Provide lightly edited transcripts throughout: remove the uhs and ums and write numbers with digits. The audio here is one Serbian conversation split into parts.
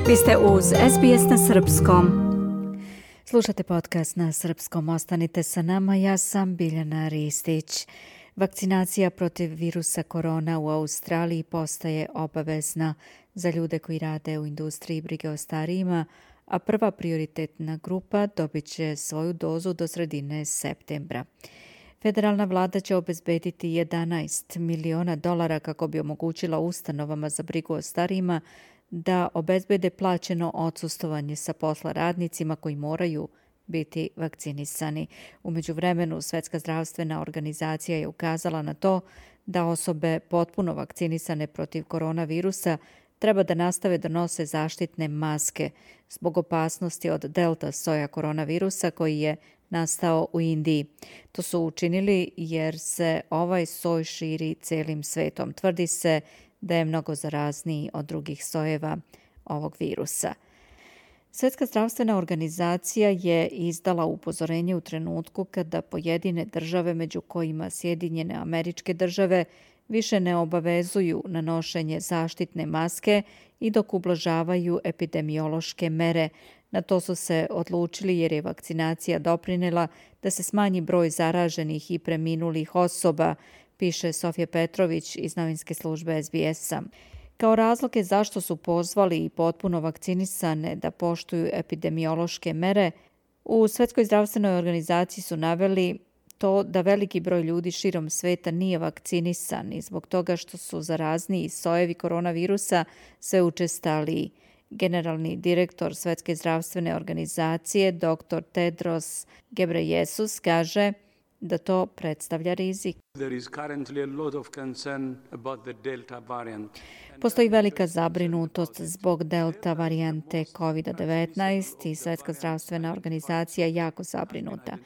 Vi ste uz SBS na srpskom. Slušate podcast na srpskom. Ostanite sa nama. Ja sam Biljana Ristić. Vakcinacija protiv virusa korona u Australiji postaje obavezna za ljude koji rade u industriji brige o starijima, a prva prioritetna grupa dobit će svoju dozu do sredine septembra. Federalna vlada će obezbediti $11 miliona kako bi omogućila ustanovama za brigu o starijima da obezbede plaćeno odsustvovanje sa posla radnicima koji moraju biti vakcinisani. U međuvremenu, Svetska zdravstvena organizacija je ukazala na to da osobe potpuno vakcinisane protiv koronavirusa treba da nastave da nose zaštitne maske zbog opasnosti od delta soja koronavirusa koji je nastao u Indiji. To su učinili jer se ovaj soj širi celim svetom. Tvrdi se da je mnogo zarazniji od drugih sojeva ovog virusa. Svetska zdravstvena organizacija je izdala upozorenje u trenutku kada pojedine države, među kojima Sjedinjene Američke Države, više ne obavezuju na nošenje zaštitne maske i dok ublažavaju epidemiološke mere. Na to su se odlučili jer je vakcinacija doprinela da se smanji broj zaraženih i preminulih osoba, piše Sofija Petrović iz novinske službe SBS-a. Kao razloge zašto su pozvali i potpuno vakcinisane da poštuju epidemiološke mere, u Svetskoj zdravstvenoj organizaciji su naveli to da veliki broj ljudi širom sveta nije vakcinisan i zbog toga što su zarazniji sojevi koronavirusa sve učestaliji. Generalni direktor Svetske zdravstvene organizacije, dr. Tedros Ghebreyesus, kaže da to predstavlja rizik. Postoji velika zabrinutost zbog delta varijante COVID-19 i Svetska zdravstvena organizacija jako zabrinuta.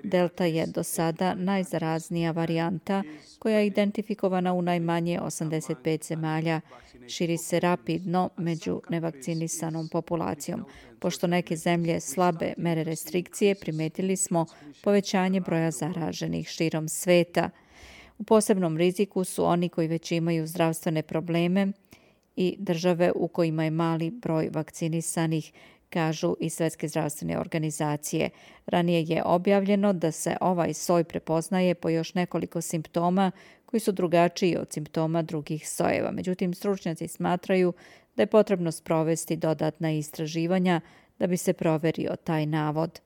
Delta je do sada najzaraznija varijanta koja je identifikovana u najmanje 85 zemalja. Širi se rapidno među nevakcinisanom populacijom. Pošto neke zemlje slabe mere restrikcije, primetili smo povećanje broja zaraženih širom sveta. U posebnom riziku su oni koji već imaju zdravstvene probleme i države u kojima je mali broj vakcinisanih, kažu i Svetske zdravstvene organizacije. Ranije je objavljeno da se ovaj soj prepoznaje po još nekoliko simptoma koji su drugačiji od simptoma drugih sojeva. Međutim, stručnjaci smatraju da je potrebno sprovesti dodatna istraživanja da bi se proverio taj navod.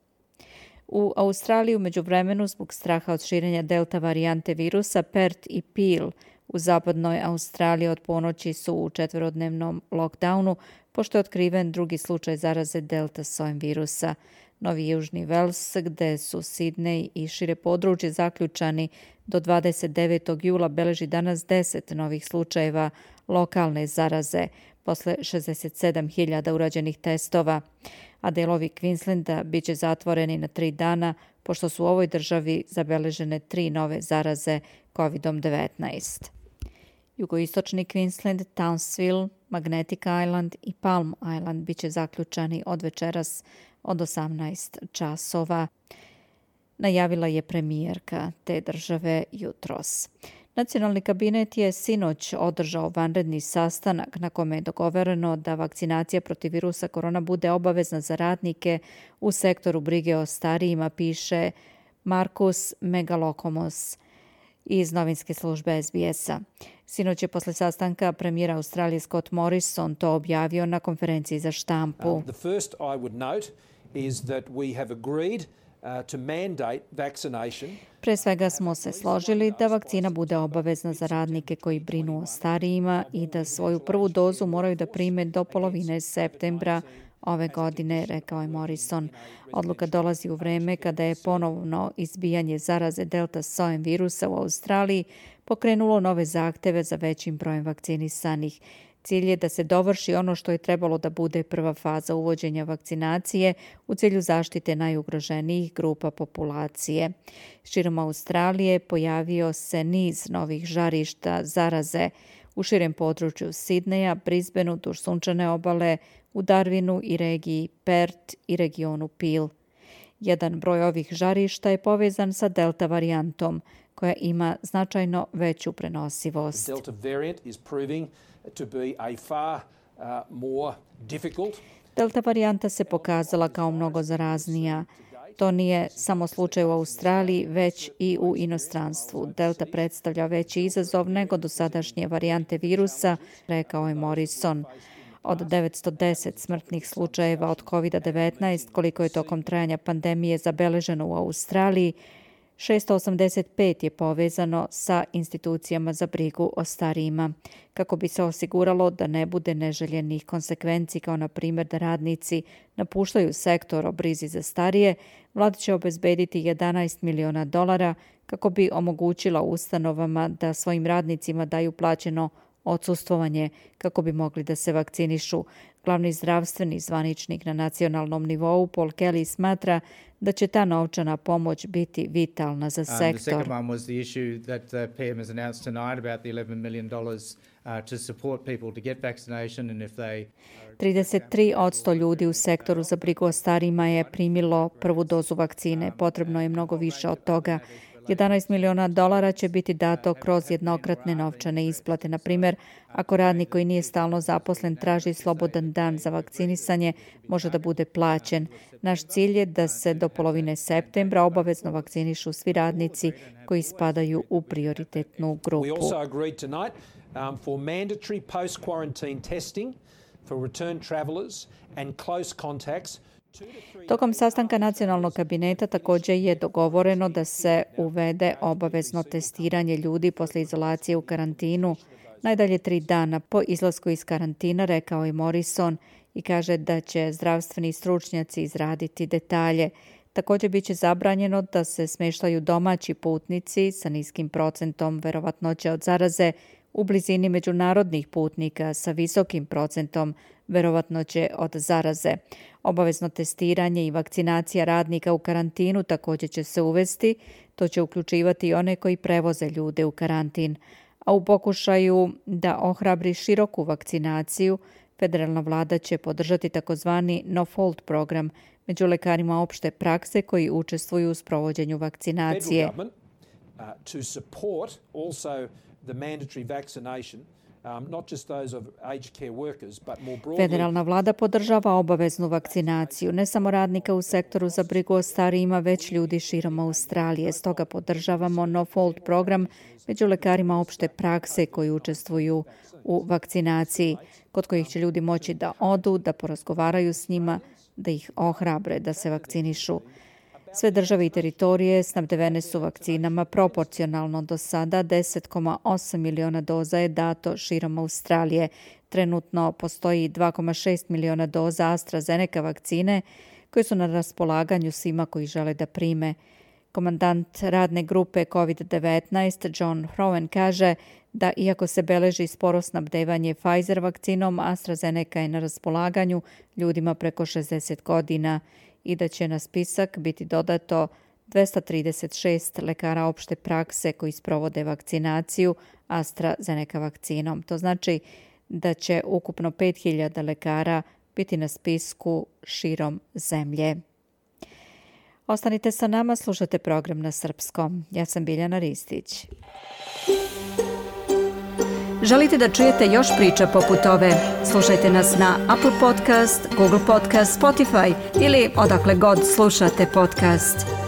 U Australiji u međuvremenu zbog straha od širenja delta varijante virusa, Perth i Peel u zapadnoj Australiji od ponoći su u 4-dnevnom lockdownu, pošto je otkriven drugi slučaj zaraze delta sojem virusa. Novi Južni Vels, gde su Sidney i šire područje zaključani do 29. jula, beleži danas 10 novih slučajeva lokalne zaraze posle 67.000 urađenih testova, a delovi Queenslanda biće zatvoreni na 3 dana, pošto su u ovoj državi zabeležene 3 nove zaraze COVID-19. Jugoistočni Queensland, Townsville, Magnetic Island i Palm Island biće zaključani od večeras od 18 časova, najavila je premijerka te države jutros. Nacionalni kabinet je sinoć održao vanredni sastanak na kome je dogovoreno da vakcinacija protiv virusa korona bude obavezna za radnike u sektoru brige o starijima, piše Markus Megalokomos iz novinske službe SBS-a. Sinoć je posle sastanka premijer Australije Scott Morrison to objavio na konferenciji za štampu. The first I would note is that we have agreed to mandate vaccination. Pre svega smo se složili da vakcina bude obavezna za radnike koji brinu o starijima i da svoju prvu dozu moraju da prime do polovine septembra ove godine, rekao je Morrison. Odluka dolazi u vreme kada je ponovno izbijanje zaraze delta sojem virusa u Australiji pokrenulo nove zahteve za većim brojem vakcinisanih. Cilj je da se dovrši ono što je trebalo da bude prva faza uvođenja vakcinacije u cilju zaštite najugroženijih grupa populacije. Širom Australije pojavio se niz novih žarišta zaraze u širem području Sidneja, Brisbaneu, duž sunčane obale, u Darwinu i regiji Perth i regionu Peel. Jedan broj ovih žarišta je povezan sa delta varijantom, koja ima značajno veću prenosivost. The Delta variant is proving to be a far more difficult. Delta varijanta se pokazala kao mnogo zaraznija. To nije samo slučaj u Australiji, već i u inostranstvu. Delta predstavlja veći izazov nego dosadašnje varijante virusa, rekao je Morrison. Od 910 smrtnih slučajeva od COVID-19, koliko je tokom trajanja pandemije zabeleženo u Australiji, 685 je povezano sa institucijama za brigu o starijima. Kako bi se osiguralo da ne bude neželjenih konsekvenci, kao na primjer da radnici napuštaju sektor o brizi za starije, vlada će obezbediti $11 miliona kako bi omogućila ustanovama da svojim radnicima daju plaćeno odsustvovanje kako bi mogli da se vakcinišu. Glavni zdravstveni zvaničnik na nacionalnom nivou, Paul Kelly, smatra da će ta novčana pomoć biti vitalna za sektor. 33% ljudi u sektoru za brigu o starijima je primilo prvu dozu vakcine. Potrebno je mnogo više od toga. $11 miliona će biti dato kroz jednokratne novčane isplate. Na primjer, ako radnik koji nije stalno zaposlen traži slobodan dan za vakcinisanje, može da bude plaćen. Naš cilj je da se do polovine septembra obavezno vakcinišu svi radnici koji spadaju u prioritetnu grupu. We also agreed tonight for mandatory post-quarantine testing for return travelers and close contacts. Tokom sastanka nacionalnog kabineta također je dogovoreno da se uvede obavezno testiranje ljudi posle izolacije u karantinu najdalje 3 dana po izlasku iz karantina, rekao je Morrison, i kaže da će zdravstveni stručnjaci izraditi detalje. Također biće zabranjeno da se smeštaju domaći putnici sa niskim procentom verovatnoće od zaraze u blizini međunarodnih putnika sa visokim procentom verovatnoće od zaraze. Obavezno testiranje i vakcinacija radnika u karantinu također će se uvesti. To će uključivati i one koji prevoze ljude u karantin. A u pokušaju da ohrabri široku vakcinaciju, federalna vlada će podržati takozvani no-fault program među lekarima opšte prakse koji učestvuju u sprovođenju vakcinacije. To support also the mandatory vaccination, not just those of aged care workers, but more broadly. Federalna vlada podržava obaveznu vakcinaciju, ne samo radnika u sektoru za brigu o starijima, već ljudi širom Australije. Stoga podržavamo no-fault program među lekarima opšte prakse koji učestvuju u vakcinaciji, kod kojih će ljudi moći da odu, da porazgovaraju s njima, da ih ohrabre da se vakcinišu. Sve države i teritorije snabdevene su vakcinama proporcionalno. Do sada 10,8 miliona doza je dato širom Australije. Trenutno postoji 2,6 miliona doza AstraZeneca vakcine koje su na raspolaganju svima koji žele da prime. Komandant radne grupe COVID-19 John Hrowen kaže da iako se beleži sporo snabdevanje Pfizer vakcinom, AstraZeneca je na raspolaganju ljudima preko 60 godina i da će na spisak biti dodato 236 lekara opšte prakse koji sprovode vakcinaciju AstraZeneca vakcinom. To znači da će ukupno 5000 lekara biti na spisku širom zemlje. Ostanite sa nama, slušate program na srpskom. Ja sam Biljana Ristić. Želite da čujete još priča poput ove? Slušajte nas na Apple Podcast, Google Podcast, Spotify ili odakle god slušate podcast.